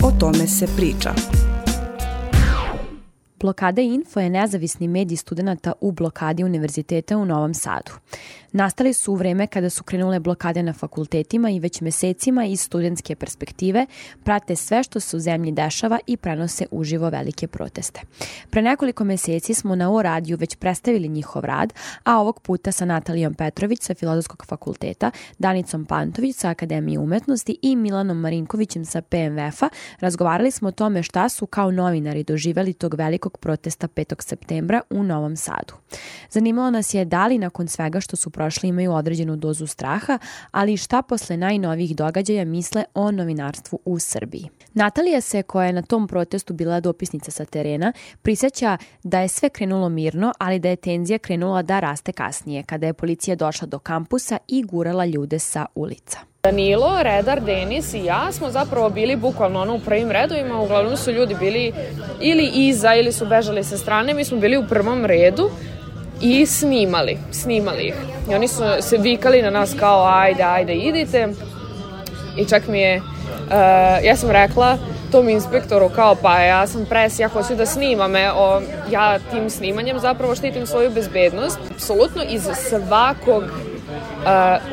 O tome se priča. Blokada Info je nezavisni medij studenata u blokadi Univerziteta u Novom Sadu. Nastali su u vreme kada su krenule blokade na fakultetima i već mesecima iz studentske perspektive prate sve što se u zemlji dešava i prenose uživo velike proteste. Pre nekoliko meseci smo na O radiju već predstavili njihov rad, a ovog puta sa Natalijom Petrović sa Filozofskog fakulteta, Danicom Pantović sa Akademije umetnosti i Milanom Marinkovićem sa PMF-a razgovarali smo o tome šta su kao novinari doživeli tog velikog protesta 5. septembra u Novom Sadu. Zanimalo nas je da li nakon svega što su prošli imaju određenu dozu straha, ali i šta posle najnovijih događaja misle o novinarstvu u Srbiji. Natalija se, koja je na tom protestu bila dopisnica sa terena, prisjeća da je sve krenulo mirno, ali da je tenzija krenula da raste kasnije, kada je policija došla do kampusa i gurala ljude sa ulica. Danilo, redar, Denis i ja smo zapravo bili bukvalno u prvim redovima, uglavnom su ljudi bili ili iza ili su bežali sa strane, mi smo bili u prvom redu i snimali ih. I oni su se vikali na nas kao ajde idite i čak mi je, ja sam rekla tom inspektoru kao pa ja sam pres, ja hoću da snimam, ja tim snimanjem zapravo štitim svoju bezbednost. Apsolutno iz svakog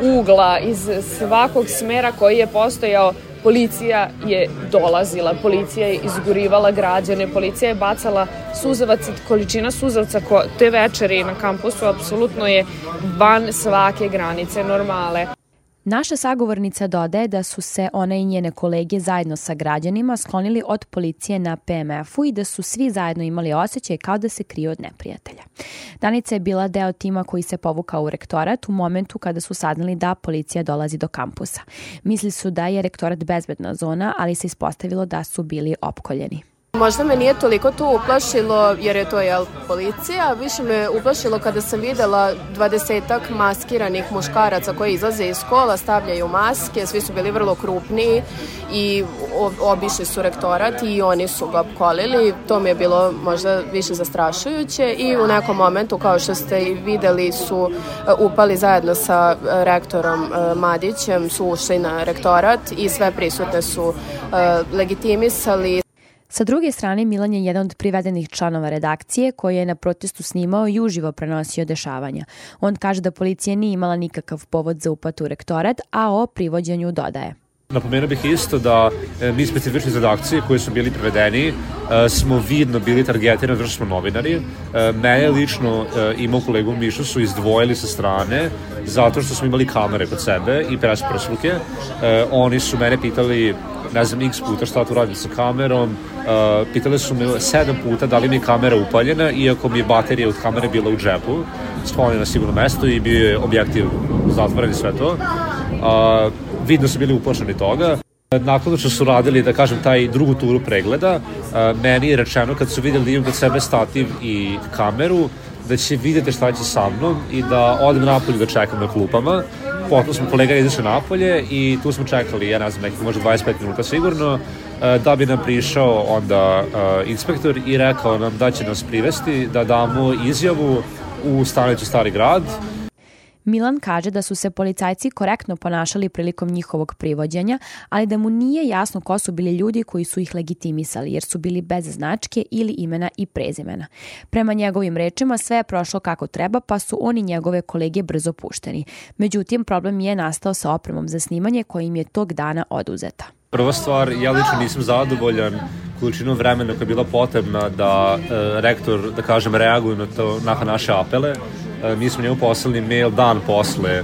ugla, iz svakog smera koji je postojao, policija je dolazila, policija je izgurivala građane, policija je bacala suzavac, količina suzavca te večeri na kampusu apsolutno je van svake granice normale. Naša sagovornica dodaje da su se ona i njene kolege zajedno sa građanima sklonili od policije na PMF-u i da su svi zajedno imali osjećaj kao da se kriju od neprijatelja. Danica je bila deo tima koji se povukao u rektorat u momentu kada su saznali da policija dolazi do kampusa. Mislili su da je rektorat bezbedna zona, ali se ispostavilo da su bili opkoljeni. Možda me nije toliko to uplašilo jer je to policija, više me uplašilo kada sam videla 20-ak maskiranih muškaraca koji izlaze iz škola, stavljaju maske, svi su bili vrlo krupniji i obišli su rektorat i oni su ga opkolili. To mi je bilo možda više zastrašujuće i u nekom momentu, kao što ste i videli, su upali zajedno sa rektorom Madićem, su ušli na rektorat i sve prisutne su legitimisali. Sa druge strane, Milan je jedan od privedenih članova redakcije koji je na protestu snimao i uživo prenosio dešavanja. On kaže da policija nije imala nikakav povod za upad u rektorat, a o privođenju dodaje. Napomenuo bih isto da mi specifični iz redakcije koji su bili prevedeni smo vidno bili targetirani zato što smo novinari. Mene lično i moj kolegu Mišu su izdvojili sa strane zato što smo imali kamere kod sebe i pres prsluke. Oni su mene pitali x puta šta tu radim sa kamerom. Pitali su me 7 puta da li mi je kamera upaljena, iako mi je baterija od kamere bila u džepu, sklonjena na sigurno mesto i bio je objektiv zatvoren i sve to. Vidno su bili uplašeni toga. Nakon što su radili, da kažem, taj drugu turu pregleda, meni je rečeno kad su vidjeli da imam kod sebe stativ i kameru, da će vidjeti šta će sa mnom i da odem napolje da čekam na klupama. Potom smo kolega izašli napolje i tu smo čekali, ja ne znam, nekih možda 25 minuta sigurno, da bi nam prišao onda inspektor i rekao nam da će nas privesti, da damo izjavu u stanicu Stari grad. Milan kaže da su se policajci korektno ponašali prilikom njihovog privođenja, ali da mu nije jasno ko su bili ljudi koji su ih legitimisali, jer su bili bez značke ili imena i prezimena. Prema njegovim rečima sve je prošlo kako treba, pa su on i njegove kolege brzo pušteni. Međutim, problem je nastao sa opremom za snimanje koja im je tog dana oduzeta. Prva stvar, ja lično nisam zadovoljan količinom vremena koja je bila potrebna da rektor, da kažem, reaguje na naše apele. Mi smo njemu poslali mail dan posle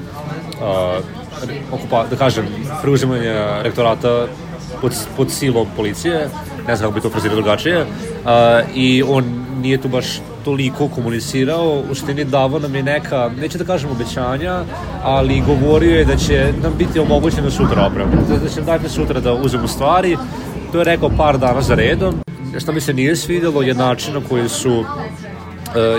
da kažem, preuzimanja rektorata pod silom policije, ne znam kako bi to frazirao drugačije, i on nije tu baš toliko komunicirao, u suštini davao nam je neka, neće da kažem obećanja, ali govorio je da će nam biti omogućeno sutra oprema, da će nam dati sutra da uzmemo stvari. To je rekao par dana za redom. Što mi se nije svidjelo je način na koji su,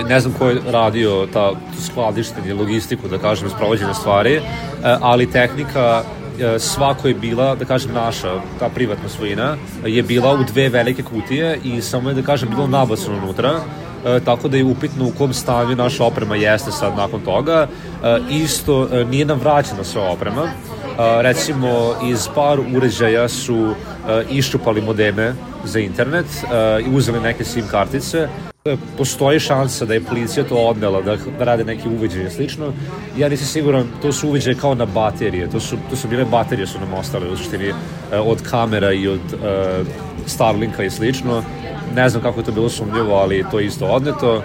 ne znam ko je radio ta skladištenje, logistiku, da kažem, sprovođenje stvari, ali tehnika svako je bila, da kažem, naša, ta privatna svojina, je bila u dve velike kutije i samo je, da kažem, bilo nabacano unutra, tako da je upitno u kom stanju naša oprema jeste sad nakon toga. Isto nije nam vraćena sva oprema. Recimo, iz par uređaja su iščupali modeme za internet i uzeli neke SIM kartice. Postoji šansa da je policija to odnela, da rade neke uveđaje i slično. Ja nisam siguran, to su uveđaje kao na baterije, to su bile baterije su nam ostale u suštini od kamera i od Starlinka i slično. Ne znam kako je to bilo sumnjivo, ali to je isto odneto.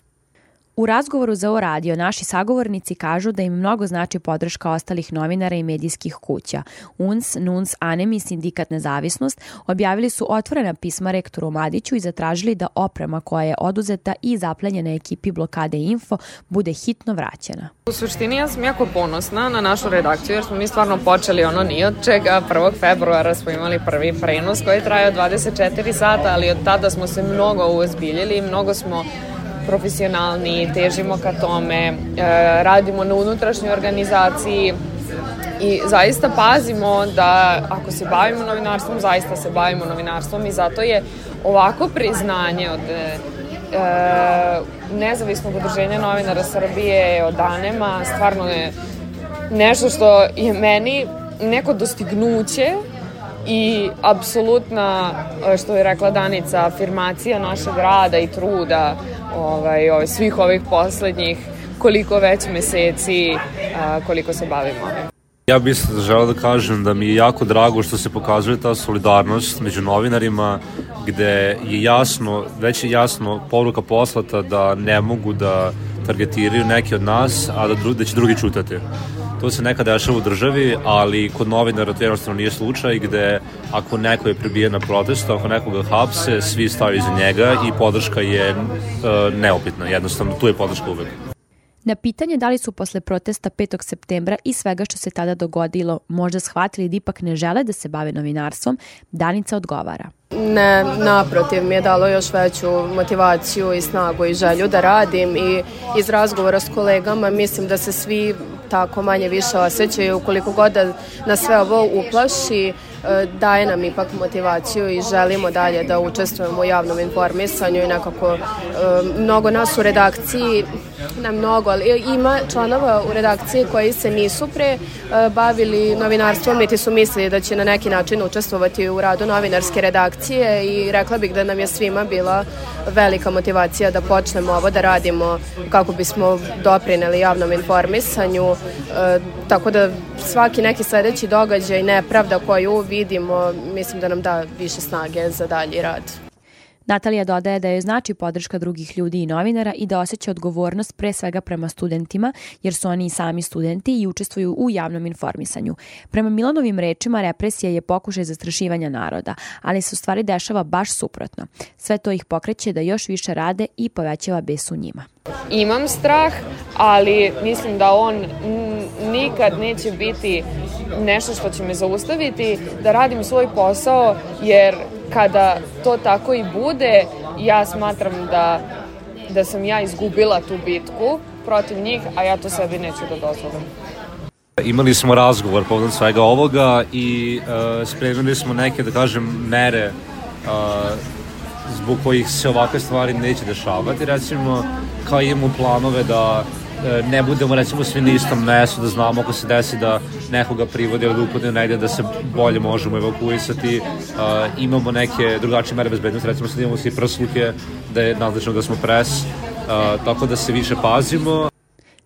U razgovoru za ovo radio naši sagovornici kažu da im mnogo znači podrška ostalih novinara i medijskih kuća. UNS, NUNS, ANEM i Sindikat Nezavisnost objavili su otvorena pisma rektoru Mladiću i zatražili da oprema koja je oduzeta i zaplenjena ekipi Blokade Info bude hitno vraćena. U suštini ja sam jako ponosna na našu redakciju jer smo mi stvarno počeli ni od čega. 1. februara smo imali prvi prenos koji je trajao 24 sata, ali od tada smo se mnogo uozbiljili, mnogo smo profesionalni, težimo ka tome, radimo na unutrašnjoj organizaciji i zaista pazimo da ako se bavimo novinarstvom, zaista se bavimo novinarstvom i zato je ovako priznanje od Nezavisnog udruženja novinara Srbije, od ANEM-a, stvarno je nešto što je meni neko dostignuće i apsolutna, što je rekla Danica, afirmacija našeg rada i truda svih ovih poslednjih koliko već meseci koliko se bavimo. Ja bih želeo da kažem da mi je jako drago što se pokazuje ta solidarnost među novinarima gde je već je jasno poruka poslata da ne mogu da targetiraju neki od nas, a da će drugi čutati. To se nekada dešava u državi, ali kod novinara to jednostavno nije slučaj gde ako neko je prebijen na protestu, ako nekoga hapse, svi staju iza njega i podrška je neupitna. Jednostavno, tu je podrška uvek. Na pitanje da li su posle protesta 5. septembra i svega što se tada dogodilo možda shvatili da ipak ne žele da se bave novinarstvom, Danica odgovara. Ne, naprotiv, mi je dalo još veću motivaciju i snagu i želju da radim i iz razgovora s kolegama mislim da se svi tako manje više osjećaju, koliko god da nas sve ovo uplaši, daje nam ipak motivaciju i želimo dalje da učestvujemo u javnom informisanju i nekako mnogo nas u redakciji, ne mnogo, ali ima članova u redakciji koji se nisu pre bavili novinarstvom, niti su mislili da će na neki način učestvovati u radu novinarske redakcije i rekla bih da nam je svima bila velika motivacija da počnemo ovo da radimo kako bismo doprineli javnom informisanju, tako da svaki neki sledeći događaj, nepravda koju vidimo, mislim da nam da više snage za dalji rad. Natalija dodaje da joj znači podrška drugih ljudi i novinara i da osjeća odgovornost pre svega prema studentima, jer su oni i sami studenti i učestvuju u javnom informisanju. Prema Milanovim rečima, represija je pokušaj zastrašivanja naroda, ali se u stvari dešava baš suprotno. Sve to ih pokreće da još više rade i povećava bes u njima. Imam strah, ali mislim da on nikad neće biti nešto što će me zaustaviti da radim svoj posao, jer kada to tako i bude, ja smatram da sam ja izgubila tu bitku protiv njih, a ja to sebi neću da dozvolim. Imali smo razgovor povodom svega ovoga i spremili smo neke, da kažem, mere zbog kojih se ovakve stvari neće dešavati. Recimo, kao imamo planove da ne budemo recimo svi na istom mestu, da znamo ako se desi da nekoga privode ili da upadne negdje da se bolje možemo evakuisati. Imamo neke drugačije mere bezbednosti, recimo sad imamo svi prsluke da je nadležno da smo pres, tako da se više pazimo.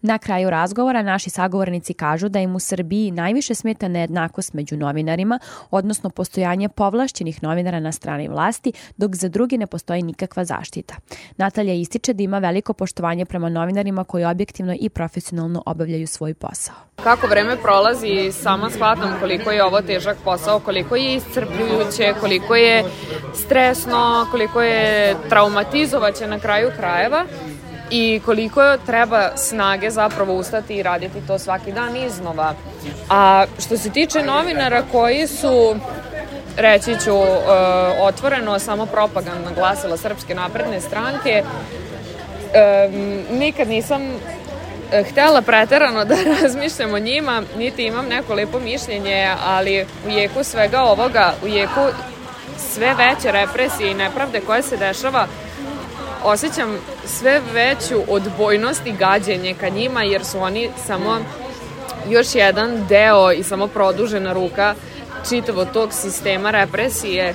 Na kraju razgovora naši sagovornici kažu da im u Srbiji najviše smeta nejednakost među novinarima, odnosno postojanje povlašćenih novinara na strani vlasti, dok za drugi ne postoji nikakva zaštita. Natalija ističe da ima veliko poštovanje prema novinarima koji objektivno i profesionalno obavljaju svoj posao. Kako vreme prolazi, sama shvatam koliko je ovo težak posao, koliko je iscrpljujuće, koliko je stresno, koliko je traumatizovaće na kraju krajeva. I koliko treba snage zapravo ustati i raditi to svaki dan iznova. A što se tiče novinara koji su, reći ću otvoreno, samo propagandna glasila Srpske napredne stranke, nikad nisam htela preterano da razmišljam o njima, niti imam neko lepo mišljenje, ali u jeku svega ovoga, u jeku sve veće represije i nepravde koje se dešava, osjećam sve veću odbojnost i gađenje ka njima, jer su oni samo još jedan deo i samo produžena ruka čitavo tog sistema represije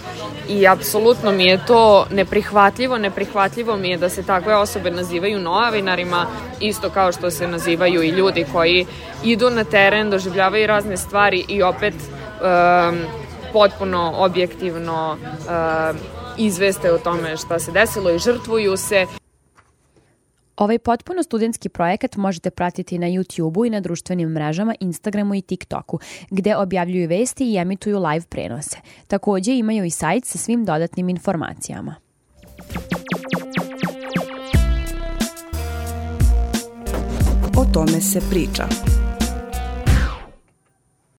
i apsolutno mi je to neprihvatljivo mi je da se takve osobe nazivaju novinarima, isto kao što se nazivaju i ljudi koji idu na teren, doživljavaju razne stvari i opet potpuno objektivno izveste o tome šta se desilo i žrtvuju se. Ovaj potpuno studentski projekat možete pratiti na YouTubeu i na društvenim mrežama Instagramu i TikToku, gde objavljuju vesti i emituju live prenose. Takođe imaju i sajt sa svim dodatnim informacijama. O tome se priča.